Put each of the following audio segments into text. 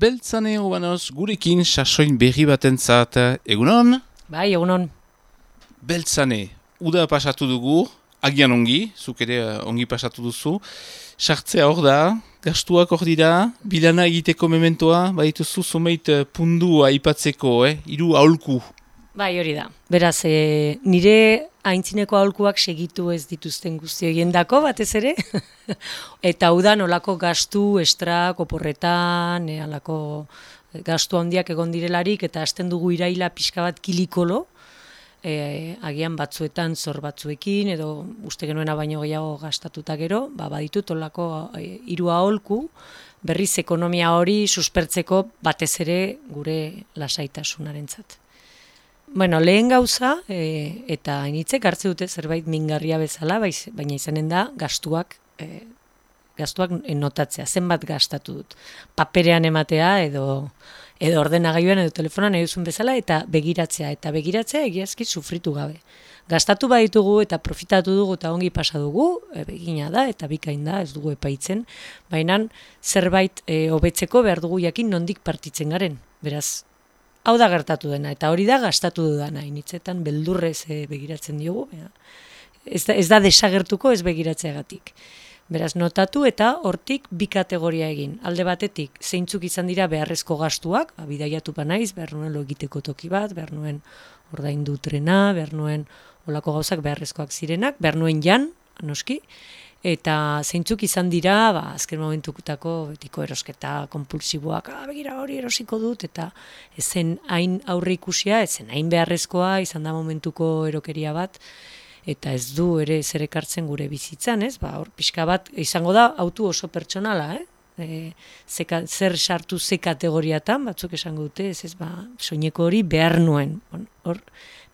Beltzane obanoz gurekin sasoin berri batentzat. Egunon? Bai, egunon. Beltzane, uda pasatu dugu, agian ongi, zuk ere ongi pasatu duzu. Sartzea hor da, gastuak hor dira, bilana egiteko mementoa, badituzu zumeit pundu aipatzeko, hiru aholku. Bai, hori da. Beraz, nire aintzineko aholkuak segitu ez dituzten guzti horiendako batez ere. Eta udan olako gastu, estrak, oporretan, alako gastu handiak egon direlarik, eta hasten dugu iraila pixka bat kilikolo, agian batzuetan zor batzuekin, edo uste genuena baino gehiago gastatuta gero, baditut olako hiru aholku, berriz ekonomia hori suspertzeko batez ere gure lasaitasunarentzat. Bueno, lehen gauza, eta hainitzek hartze dute zerbait mingarria bezala, baina izanen da gastuak notatzea, zenbat gastatu dut. Paperean ematea edo ordenagailuan edo telefonan nahi duzun bezala, eta begiratzea egiazki sufritu gabe. Gastatu baditugu eta profitatu dugu eta ongi pasa dugu, egina da eta bikain da, ez dugu epaitzen, baina zerbait hobetzeko behar dugu jakin nondik partitzen garen, beraz. Hau da gertatu dena, eta hori da gastatu dudana, initzetan beldurrez begiratzen diogu, ez da desagertuko ez begiratzeagatik. Beraz, notatu eta hortik bi kategoria egin. Alde batetik, zeintzuk izan dira beharrezko gastuak, bidaiatu banaiz, behar nuen lo egiteko toki bat, behar nuen ordaindu trena, behar nuen olako gauzak beharrezkoak zirenak, behar nuen jan, noski, eta zeintzuk izan dira, azken momentukutako betiko erosketa konpulsiboak, begira hori erosiko dut, eta ezen hain aurre ikusia, ezen hain beharrezkoa, izan da momentuko erokeria bat, eta ez du ere zer ekartzen gure bizitzan, ez? Hor pixka bat, izango da, autu oso pertsonala, zer sartu ze kategoriatan, batzuk esango dute, ez soineko hori behar nuen, hor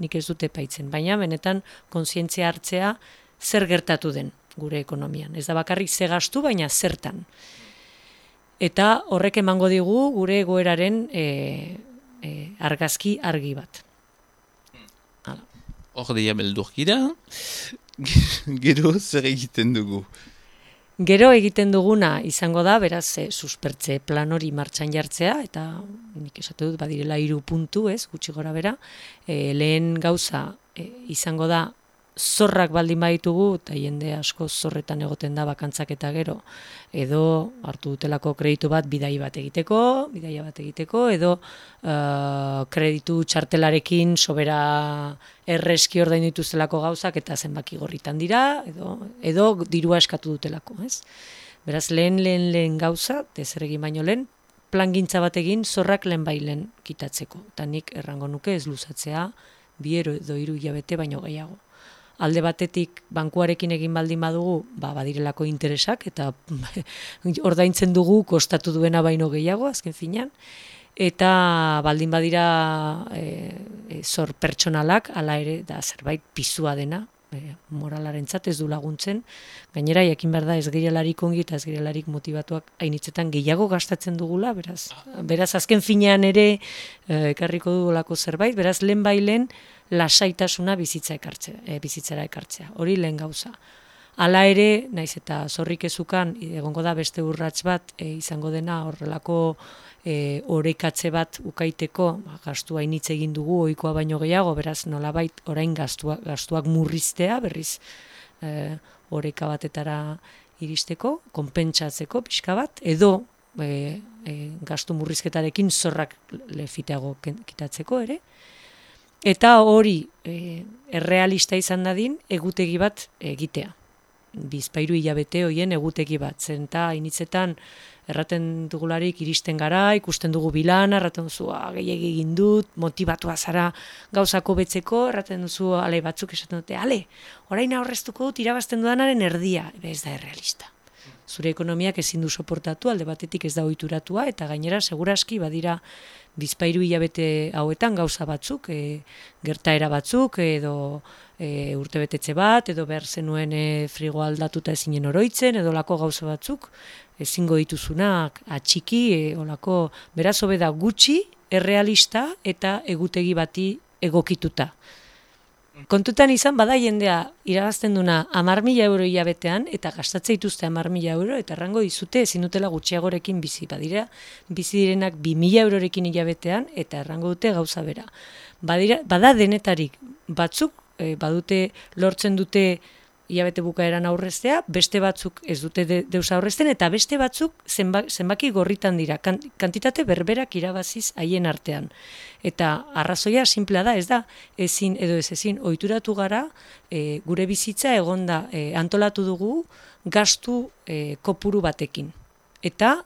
nik ez dute epaitzen, baina benetan kontzientzia hartzea zer gertatu den gure ekonomian. Ez da bakarrik ze gastu, baina zertan. Eta horrek emango digu gure egoeraren argazki argi bat. Hor deia beldurkira, gero zer egiten dugu? Gero egiten duguna izango da, beraz, suspertze plan hori martxan jartzea, eta nik esatu dut badirela 3 puntu, gutxi gora bera, lehen gauza izango da, zorrak baldin baditugu, eta jende asko zorretan egoten da bakantzak eta gero, edo hartu dutelako kreditu bat bidaia bat egiteko, edo kreditu txartelarekin sobera erreski ordaindu dituztelako gauzak eta zenbaki gorritan dira, edo dirua eskatu dutelako, ez? Beraz, lehen gauza, dezeregin baino lehen, plangintza bat egin zorrak lehen kitatzeko. Eta nik errango nuke ez luzatzea, 2 edo 3 hilabete baino gehiago. Alde batetik bankuarekin egin baldin badugu, badirelako interesak, eta ordaintzen dugu kostatu duena baino gehiago, azken finean, eta baldin badira zor pertsonalak, hala ere, da zerbait pizua dena, moralarentzat ez du laguntzen, gainera jakin behar da ez girelarik ongi eta ez girelarik motivatuak hainitzetan gehiago gastatzen dugula, beraz azken finean ere ekarriko dugulako zerbait, beraz lehen lasaitasuna bizitzara ekartzea, hori lehen gauza. Hala ere, naiz eta zorrik ezukan, egongo da beste urrats bat, izango dena horrelako orekatze bat ukaiteko, gastua hainitze egin dugu, ohikoa baino gehiago, beraz nolabait orain gastuak murriztea, berriz oreka batetara iristeko, konpentsatzeko pixka bat, edo gastu murrizketarekin zorrak lefiteago kitatzeko ere, eta hori errealista izan dadin egutegi bat egitea. 2-3 hilabete hoien egutegi bat. Zenta hainitzetan erraten dugularik iristen gara, ikusten dugu bilana, erraten duzu gehiegi egin dut, motibatua zara gauzako betzeko, erraten duzu batzuk esaten dute, orain aurreztuko dut irabazten dudanaren erdia. Ez da errealista. Zure ekonomiak ezin du soportatu, alde batetik ez da ohituratua, eta gainera seguraski badira 2-3 hilabete hauetan gauza batzuk, gertaera batzuk, edo urtebetetze bat, edo behar zenuen frigo aldatuta ezinen oroitzen, edo lako gauza batzuk, ezingo dituzunak atxiki, olako beraz hobe da gutxi, errealista eta egutegi bati egokituta. Kontutan izan, bada jendea irabazten duna 10.000 euro hilabetean, eta gastatzea dituzte 10.000 euro, eta errango dizute ezin dutela gutxiagorekin bizi. Badira, bizi direnak 2.000 eurorekin hilabetean, eta errango dute gauza bera. Bada denetarik batzuk, badute lortzen dute hilabete bukaeran aurreztea, beste batzuk ez dute deus aurrezten, eta beste batzuk zenbaki gorritan dira, kantitate berberak irabaziz haien artean. Eta arrazoia simplea da, ez da, ezin edo ez ezin, ohituratu gara, gure bizitza egonda antolatu dugu gastu kopuru batekin. Eta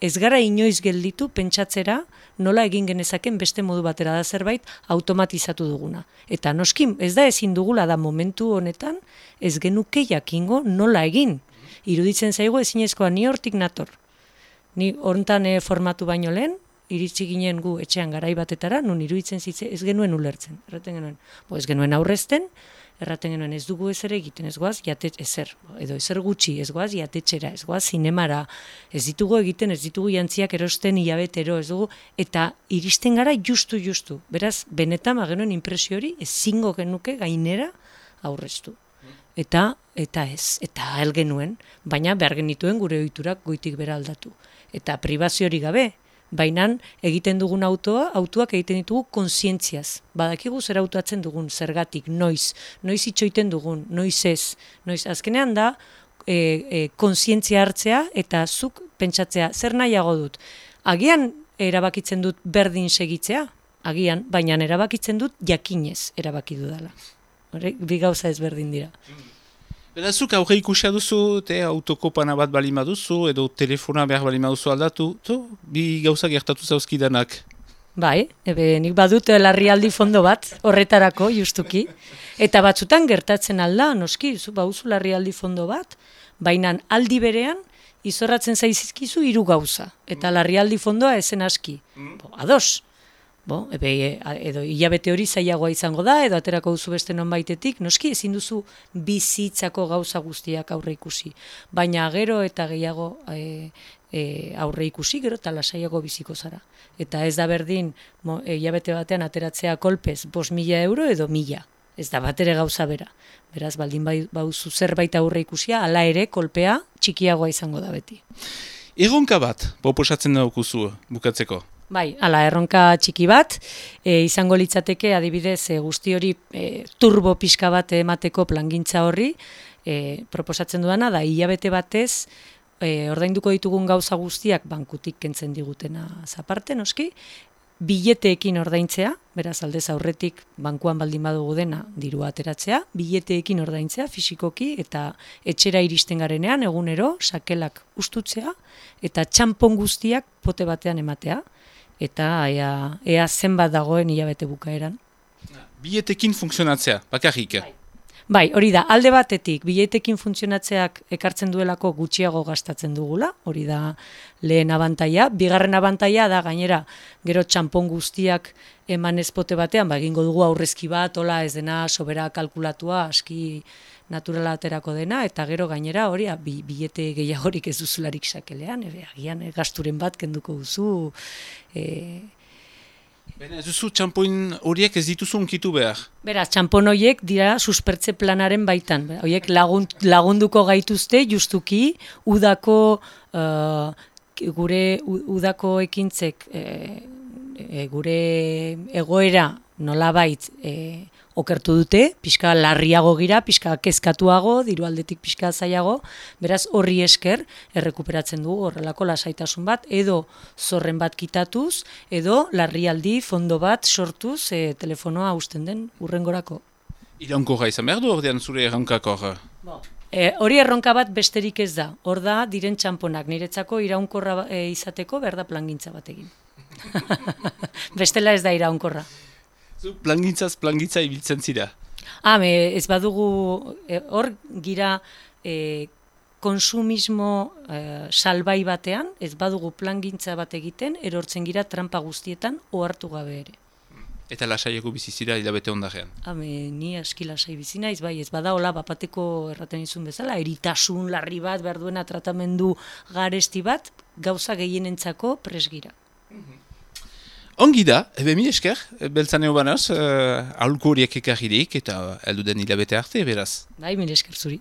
ez gara inoiz gelditu pentsatzera nola egin genezaken beste modu batera da zerbait automatizatu duguna. Eta noski, ez da ezin dugula da momentu honetan, ez genuke jakingo nola egin. Iruditzen zaigu ezinezkoa ni hortik nator. Ni hontan formatu baino lehen, iritsi ginen gu etxean garai batetara, nun iruditzen zitze ez genuen ulertzen. Erraten genuen, ez genuen aurrezten, erraten genuen ez dugu ezer egiten, ez goaz edo ezer gutxi, ez goaz jatetxera, ez goaz zinemara, ez ditugu egiten, ez ditugu jantziak erosten hilabetero, ez dugu, eta iristen gara justu. Beraz, benetan genuen inpresio hori ezingo genuke gainera aurreztu. Eta hel genuen, baina behar genituen gure ohiturak goitik bera aldatu. Eta pribazio hori gabe, baina egiten dugun autoak egiten ditugu kontzientziaz. Badakigu zer autoatzen dugun, zergatik, noiz itxoiten dugun, noiz ez. Azkenean da, kontzientzia hartzea eta zuk pentsatzea, zer nahiago dut. Agian erabakitzen dut berdin segitzea, agian, baina erabakitzen dut jakinez erabaki dudala. Bi gauza ez berdin dira. Berazuk aurre ikusia duzu, autokopana bat balima duzu, edo telefona behar balima duzu aldatu, bi gauza gertatu zauzkidanak. Bai, nik badut larrialdi fondo bat, horretarako, justuki. Eta batzutan gertatzen alda, noski, bauzu larrialdi fondo bat, baina aldi berean, izorratzen zaizkizu 3 gauza. Eta larrialdi fondoa ezen aski. Ados. Edo hilabete hori zailagoa izango da, edo aterako duzu beste nonbaitetik, noski ezin duzu bizitzako gauza guztiak aurre ikusi. Baina gero eta gehiago aurre ikusi, gero eta lasaiago biziko zara. Eta ez da berdin hilabete batean ateratzea kolpez 5.000 euro edo 1.000. Ez da batere gauza bera. Beraz, baldin bauzu zerbait aurre ikusia, hala ere kolpea txikiagoa izango da beti. Erronka bat, proposatzen daukuzu bukatzeko? Bai, erronka txiki bat, izango litzateke adibidez guzti hori turbo pixka bat emateko plangintza horri, proposatzen duana da hilabete batez, ordainduko ditugun gauza guztiak bankutik kentzen digutena zaparte, noski, bileteekin ordaintzea, beraz aldez aurretik bankuan baldin badugu dena dirua ateratzea, bileteekin ordaintzea fisikoki eta etxera iristen garenean egunero sakelak ustutzea eta txanpon guztiak pote batean ematea. Eta ea zenbat dagoen hilabete bukaeran. Biletekin funtzionatzea, bakarrik. Bai, hori da, alde batetik, biletekin funtzionatzeak ekartzen duelako gutxiago gastatzen dugula, hori da lehen abantaia. Bigarren abantaia da, gainera, gero txanpon guztiak eman ezpote batean, egingo dugu aurrezki bat, hola ez dena sobera kalkulatua, aski naturala aterako dena, eta gero gainera hori bilete gehiagorik ez duzularik sakelean, agian gasturen bat kenduko duzu. Ez duzu txampoin horiek ez dituzu unkitu behar? Beraz, txampon horiek dira suspertze planaren baitan. Horiek lagunduko gaituzte justuki udako gure udako ekintzek gure egoera nolabait okertu dute, pixka larriago gira, pixka kezkatuago, diru aldetik pixka zailago, beraz horri esker errekuperatzen dugu horrelako lasaitasun bat, edo zorren bat kitatuz, edo larrialdi fondo bat sortuz telefonoa hausten den urrengorako. Iraunkorra izan behar du ordean zure erronkakor? Hori erronka bat besterik ez da, hor da diren txamponak, niretzako iraunkorra izateko behar da plangintza bat egin. Bestela ez da iraunkorra. Plangintza ibiltzen zira? Ez badugu, hor gira konsumismo salbai batean, ez badugu plangintza bat egiten, erortzen gira trampa guztietan ohartu gabe ere. Eta lasaieko bizizira hilabete ondarean? Ni aski lasai bizi naiz, bai, ez bada hola bapateko erraten izun bezala, eritasun larri bat, behar duena tratamendu garesti bat, gauza gehienentzako presgira. Ongi da, mi esker, beltzaneo banaz, aholku horiek ekarririk eta elduden hilabete arte, beraz. Bai, mil esker zuri.